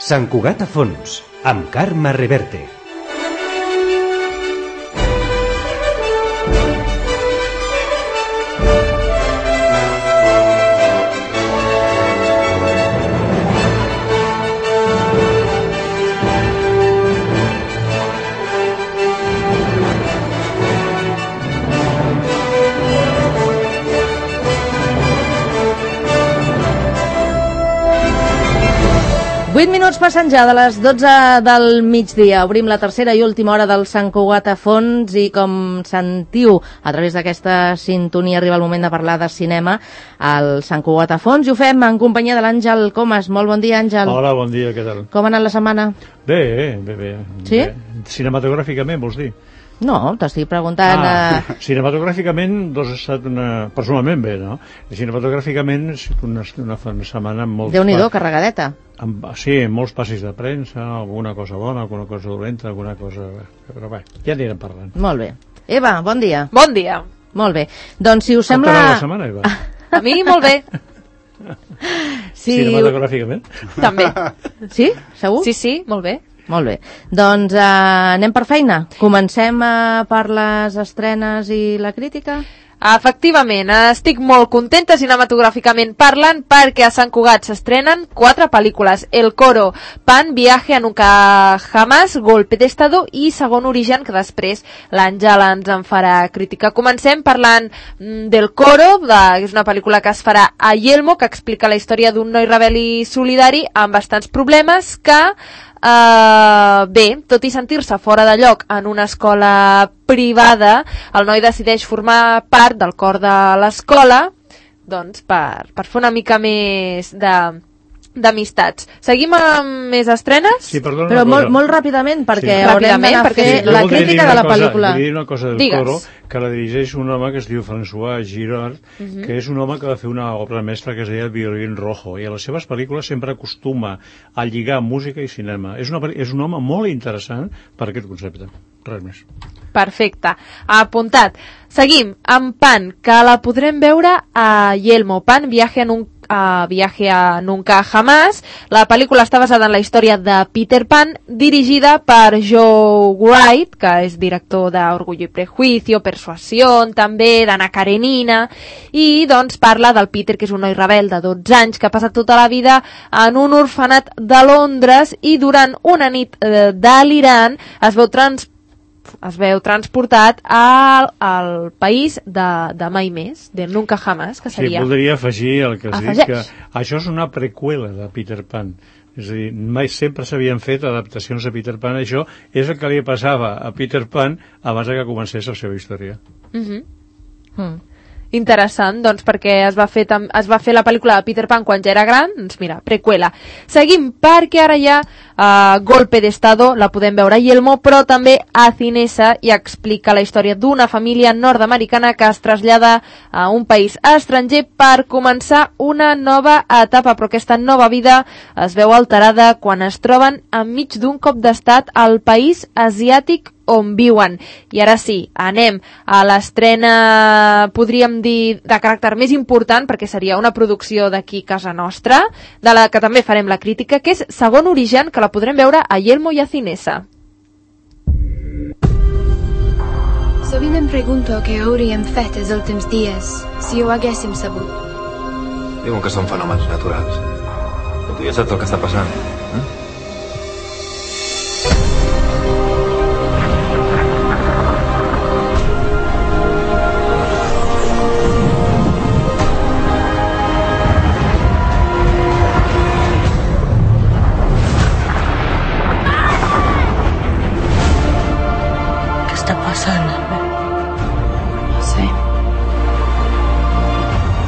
Sant Cugat a fons, amb Carme Reverte. Minuts passen ja de les 12 del migdia. Obrim la tercera i última hora del Sant Cugat a fons i com sentiu a través d'aquesta sintonia arriba el moment de parlar de cinema al Sant Cugat a fons i ho fem en companyia de l'Àngel Comas. Molt bon dia, Àngel. Hola, bon dia, què tal? Com ha anat la setmana? Bé. Sí? Bé. Cinematogràficament, vols dir? No, t'estic preguntant... Cinematogràficament, ha estat personalment bé, no? Cinematogràficament ha estat una setmana molt... Déu-n'hi-do, carregadeta. Sí, molts passis de premsa, alguna cosa bona, alguna cosa dolenta, alguna cosa... Però bé, ja anirem parlant. Molt bé. Eva, bon dia. Bon dia. Molt bé. Doncs si us sembla... Com t'ha anat la setmana, Eva? A mi molt bé. Sí. Cinematogràficament? També. Sí? Segur? Sí, molt bé. Molt bé. Doncs anem per feina. Comencem per les estrenes i la crítica? Efectivament, estic molt contenta cinematogràficament parlant perquè a Sant Cugat s'estrenen 4 pel·lícules. El Coro, Pan, Viaje a Nunca Jamás, Golpe de Estado i Segon Origen, que després l'Àngel ens en farà crítica. Comencem parlant del Coro, que és una pel·lícula que es farà a Yelmo, que explica la història d'un noi rebel i solidari amb bastants problemes que bé, tot i sentir-se fora de lloc en una escola privada, el noi decideix formar part del cor de l'escola, doncs per fer una mica més d'amistats. Seguim amb més estrenes? Sí, perdona, però molt ràpidament, perquè sí. haurem d'anar a fer la crítica de la pel·lícula. Vull dir una cosa del Digues. Coro, que la dirigeix un home que es diu François Girard, que és un home que va fer una obra mestra que es deia El violín rojo, i a les seves pel·lícules sempre acostuma a lligar música i cinema. És un home molt interessant per aquest concepte. Res més. Perfecte. Apuntat. Seguim amb Pan, que la podrem veure a Yelmo. Pan, Viaje a Nunca Jamás. La pel·lícula està basada en la història de Peter Pan, dirigida per Joe Wright, que és director d'Orgullo i Prejuicio, Persuasión, també d'Anna Karenina, i doncs parla del Peter, que és un noi rebel de 12 anys que ha passat tota la vida en un orfenat de Londres i durant una nit delirant es veu transportat al país de mai més, de Nunca Jamás, que seria... Sí, voldria afegir el que has dit, que això és una preqüela de Peter Pan. És a dir, mai sempre s'havien fet adaptacions de Peter Pan. Això és el que li passava a Peter Pan abans que comencés la seva història. Interessant, doncs, perquè es va fer la pel·lícula de Peter Pan quan ja era gran, doncs mira, preqüela. Seguim, perquè ara ja Golpe de Estado la podem veure a Yelmo, però també a Cinesa, i explica la història d'una família nord-americana que es trasllada a un país estranger per començar una nova etapa, però aquesta nova vida es veu alterada quan es troben enmig d'un cop d'estat al país asiàtic on viuen. I ara sí, anem a l'estrena, podríem dir, de caràcter més important, perquè seria una producció d'aquí casa nostra, de la que també farem la crítica, que és Segon Origen, que la podrem veure a Yelmo i a Cinesa. Sovint em pregunto què hauríem fet els últims dies si ho haguéssim sabut. Diuen que són fenòmens naturals. Però tu ja saps el que està passant, eh?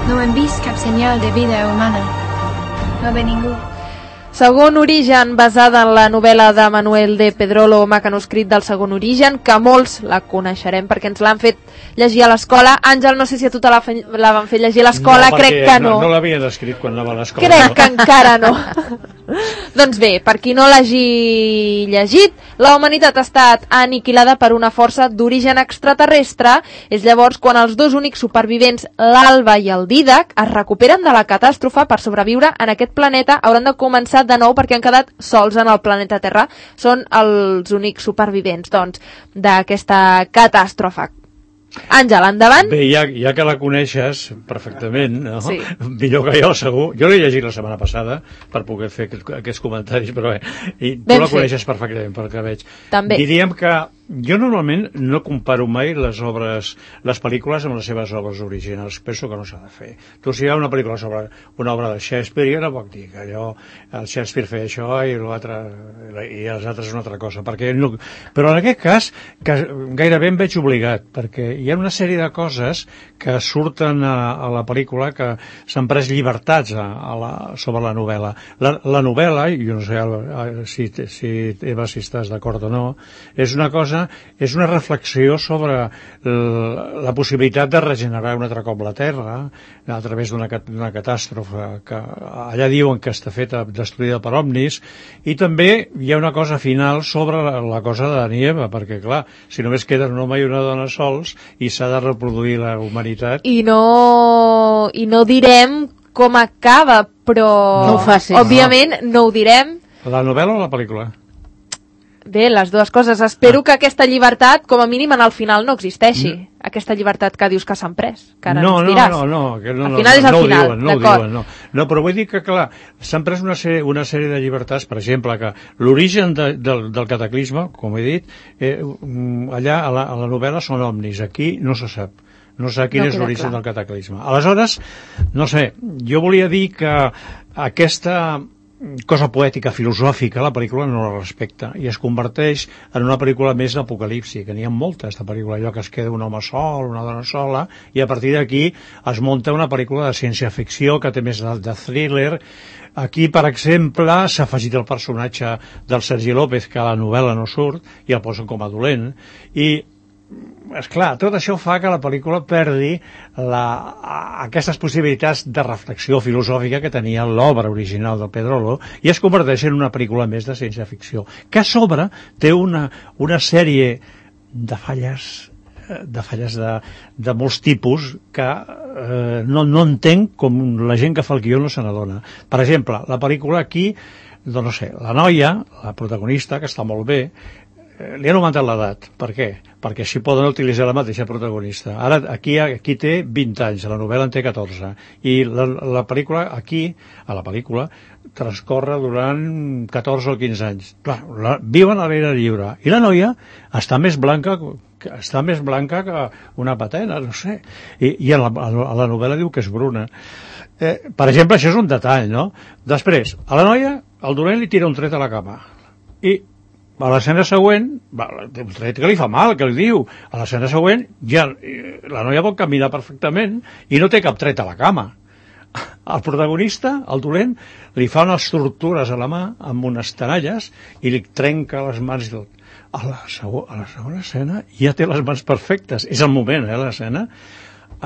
No hem vist cap senyal de vida humana. No ve ningú. Segon Origen, basada en la novel·la de Manuel de Pedrolo, Mecanoscrit del Segon Origen, que molts la coneixerem perquè ens l'han fet llegir a l'escola. Àngel, no sé si a tu te la van fer llegir a l'escola, no, crec que no. No l'havien escrit quan anava a l'escola. Crec que encara no. Doncs bé, per qui no l'hagi llegit, la humanitat ha estat aniquilada per una força d'origen extraterrestre. És llavors quan els dos únics supervivents, l'Alba i el Dídac, es recuperen de la catàstrofe per sobreviure en aquest planeta. Hauran de començar de nou perquè han quedat sols en el planeta Terra. Són els únics supervivents, doncs, d'aquesta catàstrofe. Àngel, endavant. Bé, ja que la coneixes perfectament, no? Sí. Millor que jo, segur. Jo l'he llegit la setmana passada per poder fer aquests comentaris, però bé, i tu la coneixes perfectament, pel que veig. També. Diríem que jo normalment no comparo mai les pel·lícules amb les seves obres originals. Penso que no s'ha de fer. Tu, si hi ha una pel·lícula sobre una obra de Shakespeare, jo no puc dir que allò, el Shakespeare feia això i els altres una altra cosa. No... Però en aquest cas, que gairebé em veig obligat, perquè hi ha una sèrie de coses que surten a la pel·lícula que s'han pres llibertats sobre la novel·la. La novel·la, i jo no sé Eva, si estàs d'acord o no, és una reflexió sobre la possibilitat de regenerar un altre cop la Terra a través d'una catàstrofe que allà diuen que està feta, destruïda per ovnis, i també hi ha una cosa final sobre la cosa de Dani i Eva, perquè clar, si només queden un home i una dona sols i s'ha de reproduir la humanitat... I no direm com acaba, però no ho facis. Òbviament no ho direm. La novel·la o la pel·lícula? Bé, les dues coses. Espero que aquesta llibertat, com a mínim, en el final no existeixi. Aquesta llibertat que dius que s'han pres, que ara ens diràs. No. Al final és al final, d'acord. No, però vull dir que, clar, s'han pres una sèrie de llibertats, per exemple, que l'origen del cataclisme, com he dit, allà a la novel·la són ovnis, aquí no se sap. No sé quin és l'origen del cataclisme. Aleshores, no sé, jo volia dir que aquesta cosa poètica, filosòfica, la pel·lícula no la respecta i es converteix en una pel·lícula més d'apocalipsi, que n'hi ha moltes de pel·lícula, allò que es queda un home sol, una dona sola, i a partir d'aquí es munta una pel·lícula de ciència-ficció que té més de thriller. Aquí, per exemple, s'ha afegit el personatge del Sergi López, que a la novel·la no surt, i el posen com a dolent, i esclar, tot això fa que la pel·lícula perdi aquestes possibilitats de reflexió filosòfica que tenia l'obra original del Pedrolo i es converteix en una pel·lícula més de ciència-ficció, que a sobre té una sèrie de falles de molts tipus que no entenc com la gent que fa el guió no se n'adona. Per exemple, la pel·lícula aquí, doncs no sé, la noia, la protagonista, que està molt bé, li han augmentat l'edat. Per què? Perquè així poden utilitzar la mateixa protagonista. Ara, aquí té 20 anys, a la novel·la en té 14. I la pel·lícula, a la pel·lícula, transcorre durant 14 o 15 anys. Clar, viuen a l'aire lliure. I la noia està més blanca que una patena, no sé. I a la novel·la diu que és bruna. Per exemple, això és un detall, no? Després, a la noia, el dolent li tira un tret a la cama. I a l'escena següent, un tret que li fa mal, que li diu, a l'escena següent ja la noia pot caminar perfectament i no té cap tret a la cama. El protagonista, el dolent, li fa unes tortures a la mà amb unes tenalles i li trenca les mans i tot. A la segona escena ja té les mans perfectes. És el moment, l'escena.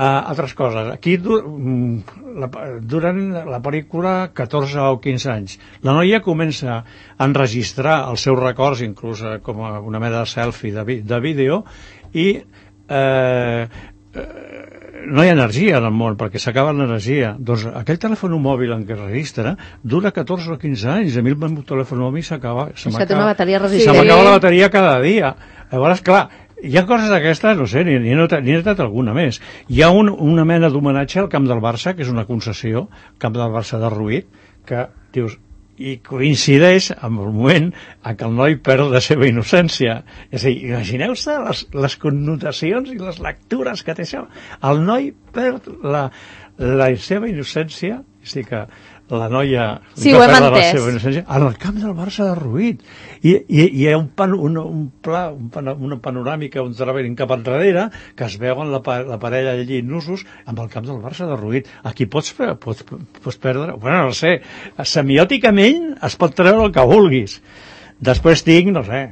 Altres coses. Aquí, durant la pel·lícula, 14 o 15 anys, la noia comença a enregistrar els seus records, inclús com una mena de selfie de vídeo, i no hi ha energia en el món, perquè s'acaba l'energia. Doncs aquell telèfon mòbil en què es registra dura 14 o 15 anys. A mi el meu telèfon mòbil se m'acaba la bateria cada dia. Llavors, clar, hi ha coses d'aquestes, no sé, n'hi he notat alguna més. Hi ha una mena d'homenatge al camp del Barça, que és una concessió, camp del Barça derruït, que dius, i coincideix amb el moment en què el noi perd la seva innocència. És a dir, imagineu-se les connotacions i les lectures que té això. El noi perd la seva innocència, és a dir, que la noia sí, ho hem entès. En el camp del Barça derruït i hi ha una panoràmica, un travelling cap enrere que es veuen la parella allí nusos amb el camp del Barça derruït. Aquí pots perdre, bueno, no sé, semiòticament es pot treure el que vulguis. Després tinc, no sé,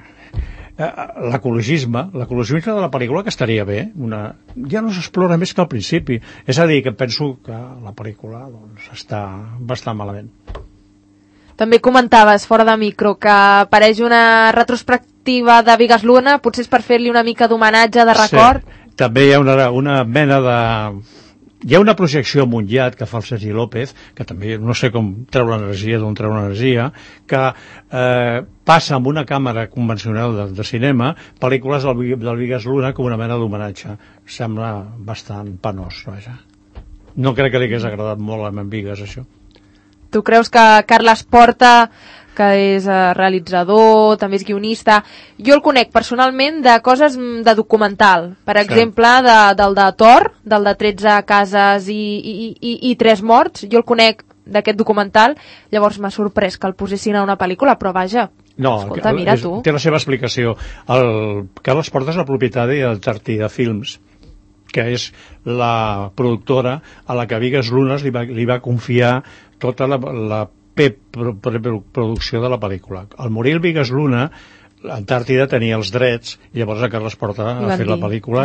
l'ecologisme de la pel·lícula, que estaria bé, ja no s'explora més que al principi. És a dir, que penso que la pel·lícula està bastant malament. També comentaves fora de micro que apareix una retrospectiva de Bigas Luna, potser és per fer-li una mica d'homenatge, de record. Sí, també hi ha una mena de... Hi ha una projecció a Montllad que fa el Sergi López, que també no sé com treu l'energia, d'on treu l'energia, que passa amb una càmera convencional de cinema pel·lícules del Bigas Luna com una mena d'homenatge. Sembla bastant penós, vaja. No crec que li hagués agradat molt a en Bigas, això. Tu creus que Carles Porta, que és realitzador, també és guionista, jo el conec personalment de coses de documental, per exemple del de Thor, del de 13 cases i 3 morts, jo el conec d'aquest documental, llavors m'ha sorprès que el posessin a una pel·lícula, però vaja, escolta, mira tu. Té la seva explicació. El Carles Porta és el propietari del Tartida Films, que és la productora a la que Bigas Lunas li va confiar tota la preproducció de la pel·lícula. Al morir el Bigas Luna, l'Antàrtida tenia els drets i llavors a Carles Porta ha fet la pel·lícula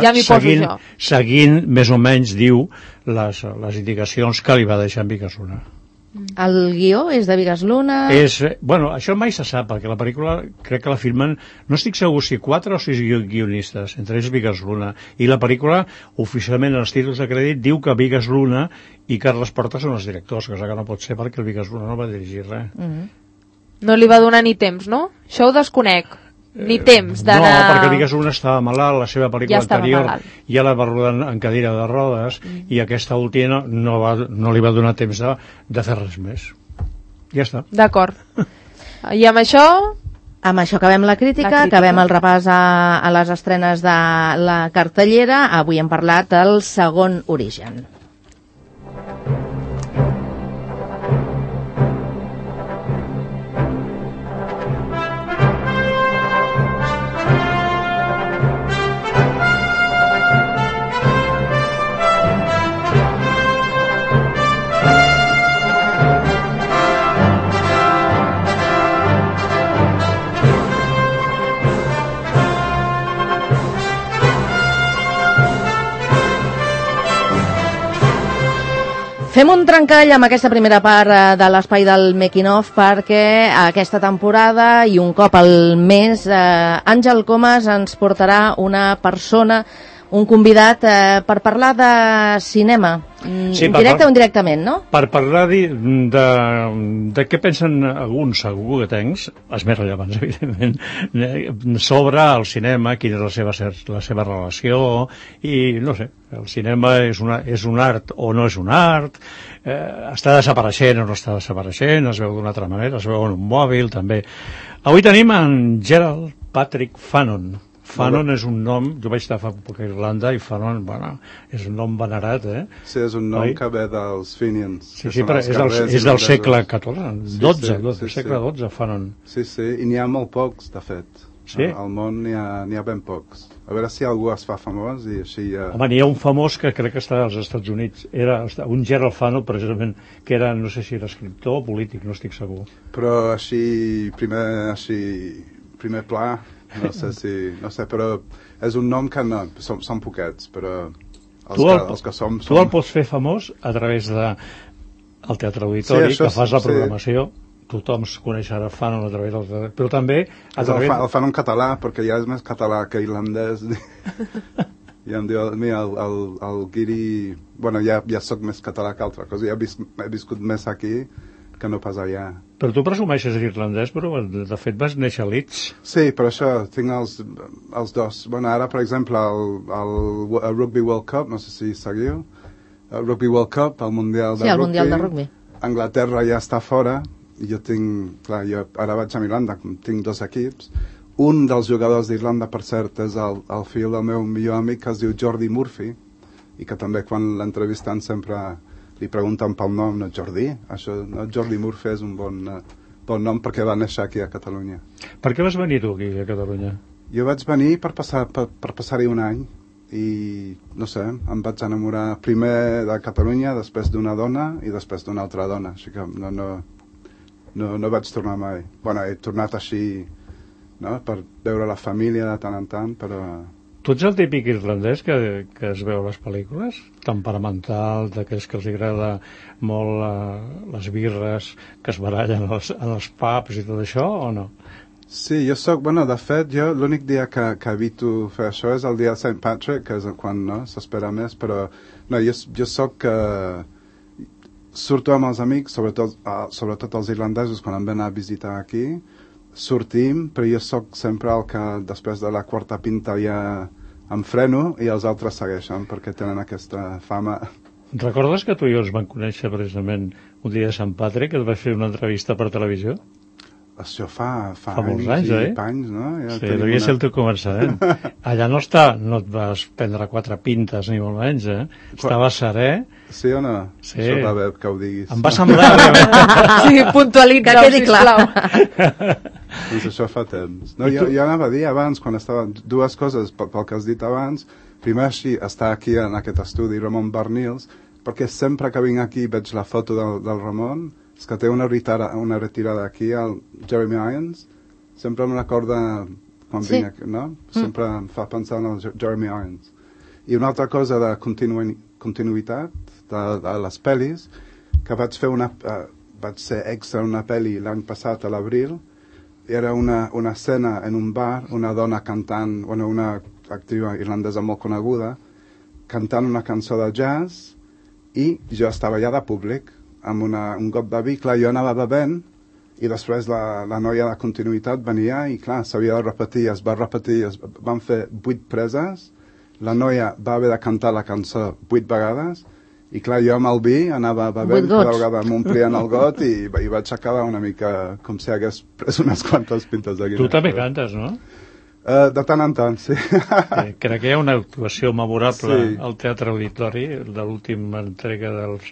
seguint més o menys, diu, les indicacions que li va deixar en Bigas Luna. El guió és de Bigas Luna? Bueno, això mai se sap, perquè la pel·lícula crec que la filmen, no estic segur si 4 o 6 guionistes, entre ells Bigas Luna, i la pel·lícula, oficialment en els títols de crèdit, diu que Bigas Luna i Carles Porta són els directors, cosa que no pot ser perquè el Bigas Luna no va dirigir res. No li va donar ni temps, no? Això ho desconec. Ni temps d'anar... No, perquè Bigas Luna estava malalt, la seva pel·lícula anterior ja la va rodar en cadira de rodes i aquesta última no li va donar temps de fer res més. Ja està. D'acord. I amb això... Amb això acabem la crítica, acabem el repàs a les estrenes de la cartellera. Avui hem parlat del Segon Origen. Fem un trencall amb aquesta primera part de l'espai del Making of perquè aquesta temporada i un cop al mes Àngel Comas ens portarà una persona, un convidat per parlar de cinema, directe o indirectament, no? Per parlar de què pensen alguns, segur que tens, els més rellevants, evidentment, sobre el cinema, quina és la seva relació, i no sé, el cinema és un art o no és un art, està desapareixent o no està desapareixent, es veu d'una altra manera, es veu en un mòbil, també. Avui tenim en Gerald Patrick Fanon. Fanon és un nom, jo vaig estar fa poc a Irlanda i Fanon, bueno, és un nom venerat, Sí, és un nom que ve dels Fenians. Sí, però és del segle XIV, segle XII, Fanon. Sí, i n'hi ha molt pocs, de fet. Sí? Al món n'hi ha ben pocs. A veure si algú es fa famós i així ja... Home, n'hi ha un famós que crec que està als Estats Units. Era un Gerald Fanon, precisament, que era, no sé si era escriptor o polític, no estic segur. Però primer pla... No sé, però és un nom que no, són poquets, però els que som... Tu el pots fer famós a través del Teatre Auditori, que fas la programació, tothom coneixerà Fanon a través del teatre, però també... El Fanon català, perquè ja és més català que irlandès. I em diu, mira, el Guiri... Bueno, ja soc més català que altra cosa, ja he viscut més aquí que no pas allà. Però tu presumeixes irlandès, però de fet vas néixer a Leeds. Sí, per això tinc els dos. Bueno, ara, per exemple, el Rugby World Cup, no sé si seguiu, el Rugby World Cup, el Mundial de Rugby. Sí, el Mundial de Rugby. Anglaterra ja està fora, i jo tinc... Clar, jo ara vaig a Irlanda, tinc 2 equips. Un dels jugadors d'Irlanda, per cert, és el fill del meu millor amic, que es diu Jordi Murphy, i que també quan l'entrevisten sempre... li pregunten pel nom, no Jordi, Jordi Murphy és un bon nom perquè va néixer aquí a Catalunya. Per què vas venir tu aquí a Catalunya? Jo vaig venir per passar-hi un any i, no sé, em vaig enamorar primer de Catalunya, després d'una dona i després d'una altra dona, així que no vaig tornar mai. Bueno, he tornat així, no?, per veure la família de tant en tant, però Tu ets el típic irlandès que es veu a les pel·lícules? Temperamental, d'aquells que els agrada molt les birres, que es barallen en els pubs i tot això, o no? Sí, jo soc, bueno, de fet, jo l'únic dia que evito fer això és el dia de St. Patrick, que és quan no s'espera més, però no, jo soc... surto amb els amics, sobretot els irlandesos, quan em ven a visitar aquí, sortim, però jo sóc sempre el que després de la quarta pinta ja em freno i els altres segueixen perquè tenen aquesta fama. Recordes que tu i jo ens vam conèixer precisament un dia de Sant Patrick, que et vaig fer una entrevista per televisió? Això fa molts anys, anys, no? Ja sí, devia ser el teu començament. Allà no et vas prendre 4 pintes, ni molt menys, Estava serè. Sí o no? Sí. Això va bé que ho diguis. Em va semblar... Sí, puntualitza, que quedi clar. Doncs això fa temps. No, jo anava a dir abans, quan estava... Dues coses pel que has dit abans. Primer, així, estar aquí en aquest estudi, Ramon Barnils, perquè sempre que vinc aquí veig la foto del Ramon. És que té una retirada aquí al Jeremy Irons. Sempre me recorda quan vinc aquí, no? Sempre em fa pensar en el Jeremy Irons. I una altra cosa de continuïtat de les pel·lis, que vaig ser extra en una pel·li l'any passat a l'abril. Era una escena en un bar, una dona cantant, una actriu irlandesa molt coneguda, cantant una cançó de jazz, i jo estava allà de públic amb un got de vi. Clar, jo anava bevent i després la noia de continuïtat venia i clar, s'havia de repetir, es va repetir, van fer 8 preses, la noia va haver de cantar la cançó 8 vegades i clar, jo amb el vi anava bevent, cada vegada m'omplien el got i vaig acabar una mica com si hagués pres unes quantes pintes de Guinness. Tu també cantes, no? De tant en tant, sí. Crec que hi ha una actuació memorable al Teatre Auditori de l'última entrega dels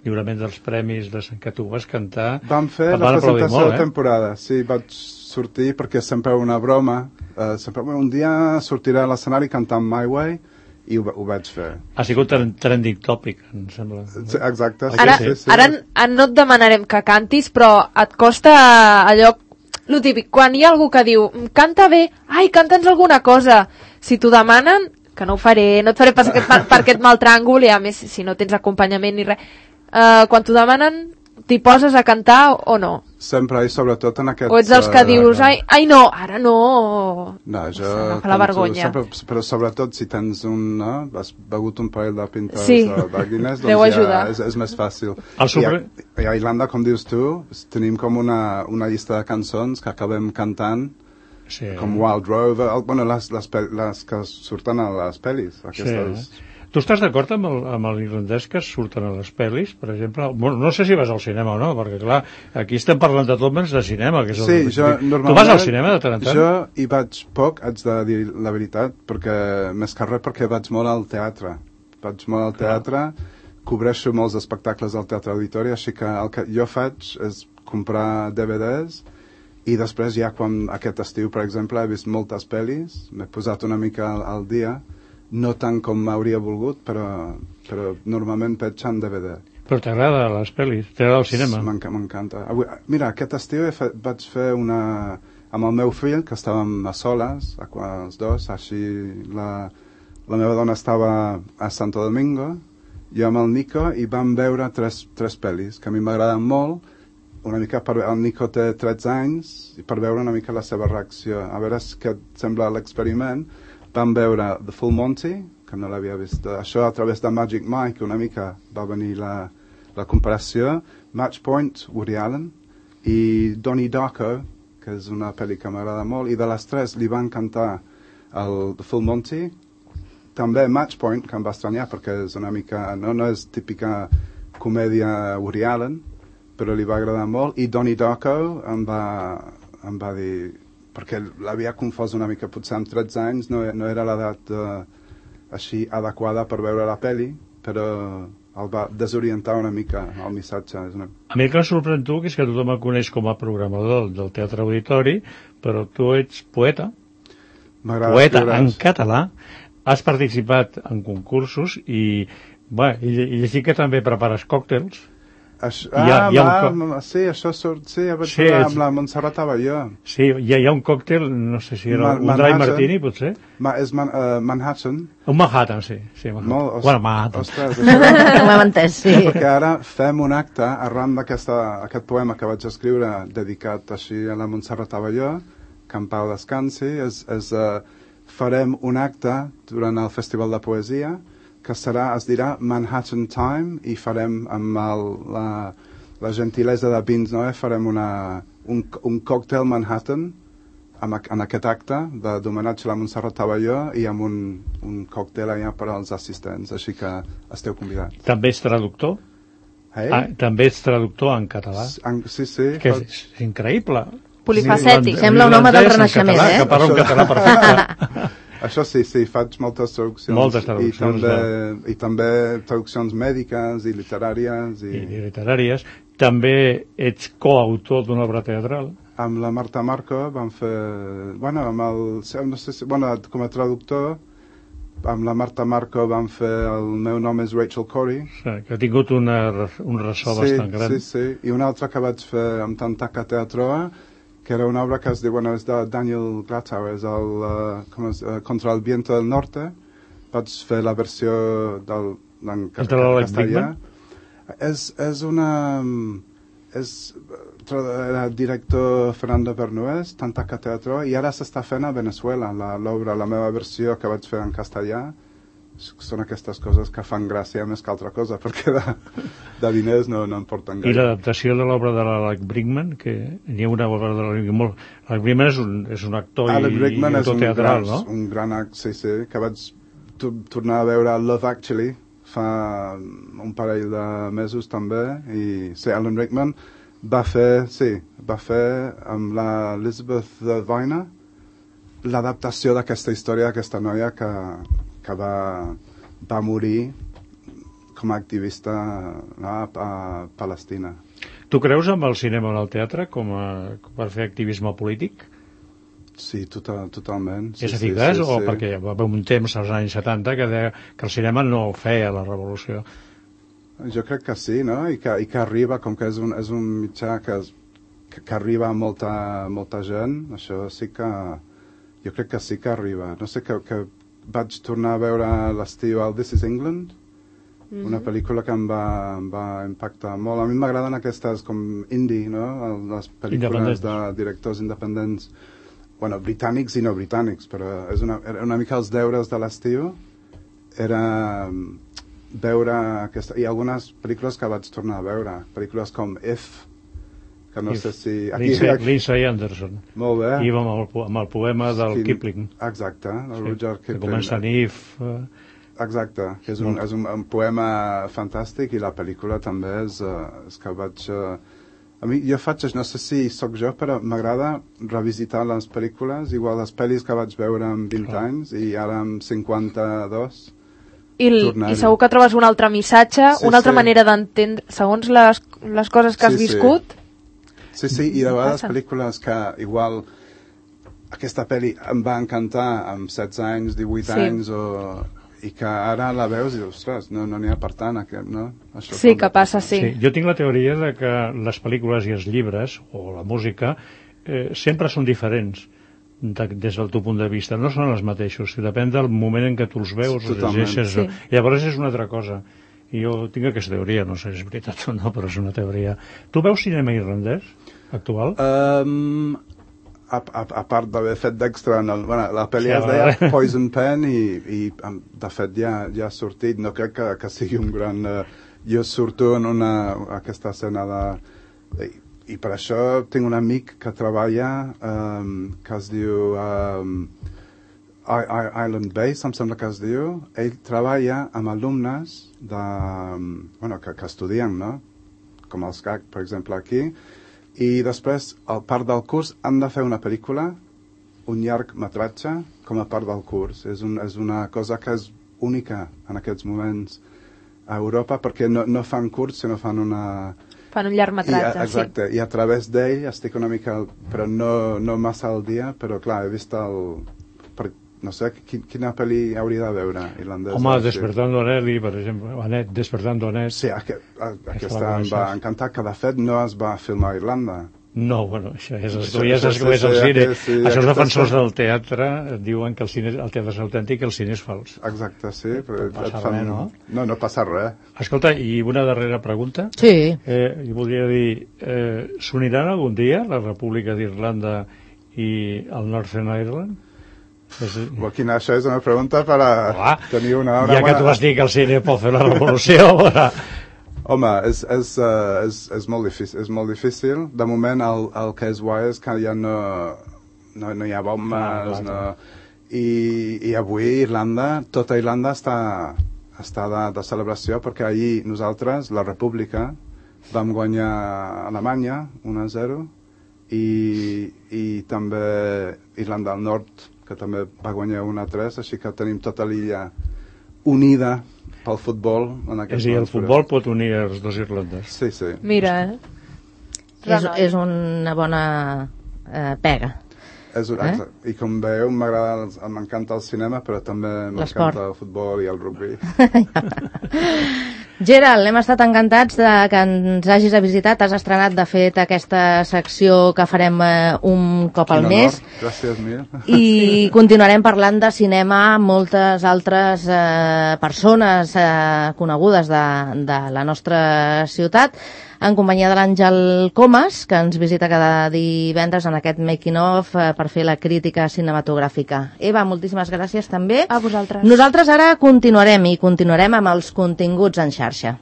lliurament dels premis que tu vas cantar. Vam fer la presentació de temporada, sí, vaig sortir perquè sempre una broma, un dia sortiré a l'escenari cantant My Way i ho vaig fer. Ha sigut trending topic, em sembla. Sí, exacte. Ara no et demanarem que cantis, però et costa allò, lo típic, quan hi ha algú que diu canta bé, ai, canta'ns alguna cosa, si t'ho demanen, que no ho faré, no et faré passar per aquest mal tràngol i a més si no tens acompanyament ni res, quan t'ho demanen t'hi poses a cantar o no? Sempre, i sobretot en aquests... O ets els que dius, ai no, ara no... No, jo... Agafa la vergonya. Però sobretot si tens has begut un parell de pintes de Guinness, doncs ja és més fàcil. I a Irlanda, com dius tu, tenim com una llista de cançons que acabem cantant, com Wild Rover, les que surten a les pel·lis, aquestes... Tu estàs d'acord amb l'irlandès que surten a les pel·lis, per exemple? Bueno, no sé si vas al cinema o no, perquè clar, aquí estem parlant de tot menys de cinema. Que és normalment... Tu vas al cinema de tant en tant? Jo hi vaig poc, haig de dir la veritat, perquè més que res perquè vaig molt al teatre. Cobreixo molts espectacles al Teatre Auditori, així que el que jo faig és comprar DVDs i després ja quan aquest estiu, per exemple, he vist moltes pel·lis, m'he posat una mica al dia, no tant com m'hauria volgut, però normalment veig en DVD. Però t'agrada les pel·lis? T'agrada el cinema? M'encanta. Mira, aquest estiu vaig fer una... amb el meu fill, que estàvem a soles, els dos, així la meva dona estava a Santo Domingo, jo amb el Nico, i vam veure tres pel·lis que a mi m'agraden molt, una mica el Nico té 13 anys, i per veure una mica la seva reacció. A veure què et sembla l'experiment. Vam veure The Full Monty, que no l'havia vist. Això a través de Magic Mike, una mica va venir la comparació. Match Point, Woody Allen, i Donnie Darko, que és una pel·li que m'agrada molt, i de les tres li va encantar The Full Monty. També Match Point, que em va estranyar, perquè és una mica... No és típica comèdia Woody Allen, però li va agradar molt. I Donnie Darko em va dir... perquè l'havia confós una mica, potser amb 13 anys no era l'edat així adequada per veure la pel·li, però el va desorientar una mica el missatge. A mi el que em sorprèn tu és que tothom el coneix com a programador del Teatre Auditori, però tu ets poeta. Poeta en català. Has participat en concursos i llegir que també prepares còctels. Sí, això surt... Sí, vaig veure amb la Montserrat Abelló. Sí, hi ha un còctel, no sé si era un dry martini, potser? És Manhattan. Un Manhattan, sí. Bueno, Manhattan. Ostres, ho hem entès, sí. Perquè ara fem un acte arran d'aquest poema que vaig escriure dedicat així a la Montserrat Abelló, que en pau descansi. Farem un acte durant el Festival de Poesia que es dirà Manhattan Time, i farem amb la gentilesa de Vins Noé, farem un còctel Manhattan en aquest acte d'homenatge a la Montserrat Abelló, i amb un còctel allà per als assistents, així que esteu convidats. També ets traductor? També ets traductor en català? Sí. Que és increïble. Polifacètic. Sembla un home del Renaixement, que parla un català perfecte. Això sí, faig moltes traduccions. Moltes traduccions, I també traduccions mèdiques i literàries. I literàries. També ets coautor d'una obra teatral. Amb la Marta Marco vam fer... com a traductor, amb la Marta Marco vam fer El meu nom és Rachel Corrie. Sí, que ha tingut un ressò bastant gran. Sí. I una altra que vaig fer amb Tantaca Teatroa, que era una obra que es diu, és de Daniel Glatauer, és Contra el viento del norte. Vaig fer la versió en castellà. Era director Fernando Bernués, Tantaca Teatro, i ara s'està fent a Venezuela l'obra, la meva versió que vaig fer en castellà. Són aquestes coses que fan gràcia més que altra cosa, perquè de diners no en porten gaire. I l'adaptació de l'obra de l'Alec Brinkman, que n'hi ha una obra de l'Alec Brinkman és un actor i autor teatral, no? Un gran actor, sí, que vaig tornar a veure Love Actually fa un parell de mesos també, i sí, Alan Rickman va fer amb l'Elizabeth Viner l'adaptació d'aquesta història d'aquesta noia que va morir com a activista a Palestina. Tu creus amb el cinema o el teatre per fer activisme polític? Sí, totalment. És eficaç o perquè hi va haver un temps als anys 70 que deia que el cinema no feia la revolució? Jo crec que sí, no? I que arriba, com que és un mitjà que arriba a molta gent, això sí que... Jo crec que sí que arriba. No sé, que vaig tornar a veure l'estiu al This is England, una pel·lícula que em va impactar molt. A mi m'agraden aquestes com indie, no? Les pel·lícules de directors independents, britànics i no britànics, però era una mica els deures de l'estiu, era veure i algunes pel·lícules que vaig tornar a veure, pel·lícules com If, que no sé si... Lindsay Anderson. Molt bé. I amb el poema del Kipling. Exacte, el Rudyard Kipling. Que comença en If. Exacte, que és un poema fantàstic, i la pel·lícula també és que vaig... A mi, jo faig, no sé si sóc jo, però m'agrada revisitar les pel·lícules, igual les pel·lis que vaig veure amb 20 anys i ara amb 52... I segur que trobes un altre missatge, una altra manera d'entendre, segons les coses que has viscut. Sí, i de vegades pel·lícules que igual aquesta pel·li em va encantar amb 16 anys, 18 anys, i que ara la veus i dius, ostres, no n'hi ha per tant, no? Això sí, que passa, sí. Jo tinc la teoria de que les pel·lícules i els llibres, o la música, sempre són diferents des del teu punt de vista, no són els mateixos, depèn del moment en què tu els veus, els llegeixes, llavors és una altra cosa. I jo tinc aquesta teoria, no sé si és veritat o no, però és una teoria. Tu veus cinema irlandès actual? A part d'haver fet d'extra la pel·li es deia Poison Pen, i de fet ja ha sortit. No crec que sigui un gran... Jo surto en aquesta escena de... I per això tinc un amic que treballa, que es diu Island Base, em sembla que es diu. Ell treballa amb alumnes que estudien, no? Com els CAC, per exemple, aquí. I després, a part del curs, han de fer una pel·lícula, un llargmetratge, com a part del curs. És una cosa que és única en aquests moments a Europa, perquè no fan curs, sinó fan fan un llargmetratge, exacte, i a través d'ell estic una mica, però no massa al dia, però clar, he vist no sé, quina pel·li hauria de veure irlandesa? Home, Despertando a Nelly, per exemple. Anet, Despertando a Anet. Sí, aquesta em va encantar, que de fet no es va filmar a Irlanda. No, bueno, això és, tu ja saps com és el cine. Això els defensors del teatre diuen que el teatre és autèntic i el cine és fals. Exacte, sí. No passa res, no? No passa res. Escolta, i una darrera pregunta. Sí. Jo voldria dir, s'uniran algun dia la República d'Irlanda i el Northern Ireland? Joaquín, això és una pregunta per a tenir una hora... Ja que tu vas dir que el cine pot fer la revolució... Home, és molt difícil, és molt difícil. De moment el que és guai és que ja no hi ha bombes, i avui Irlanda, tota Irlanda està de celebració, perquè ahir nosaltres, la República, vam guanyar Alemanya 1-0, i també Irlanda del Nord, que també va guanyar 1-3, així que tenim tota l'illa unida pel futbol. És a dir, el futbol pot unir els dos Irlandes. Sí, sí. Mira, És una bona pega. I com veieu, m'encanta el cinema, però també m'encanta el futbol i el rugby. Gerald, hem estat encantats que ens hagis visitat. Has estrenat, de fet, aquesta secció que farem un cop al mes. Gràcies mil. I continuarem parlant de cinema amb moltes altres persones conegudes de la nostra ciutat, en companyia de l'Àngel Comas, que ens visita cada divendres en aquest making of per fer la crítica cinematogràfica. Eva, moltíssimes gràcies també. A vosaltres. Nosaltres ara continuarem amb els continguts en xarxa.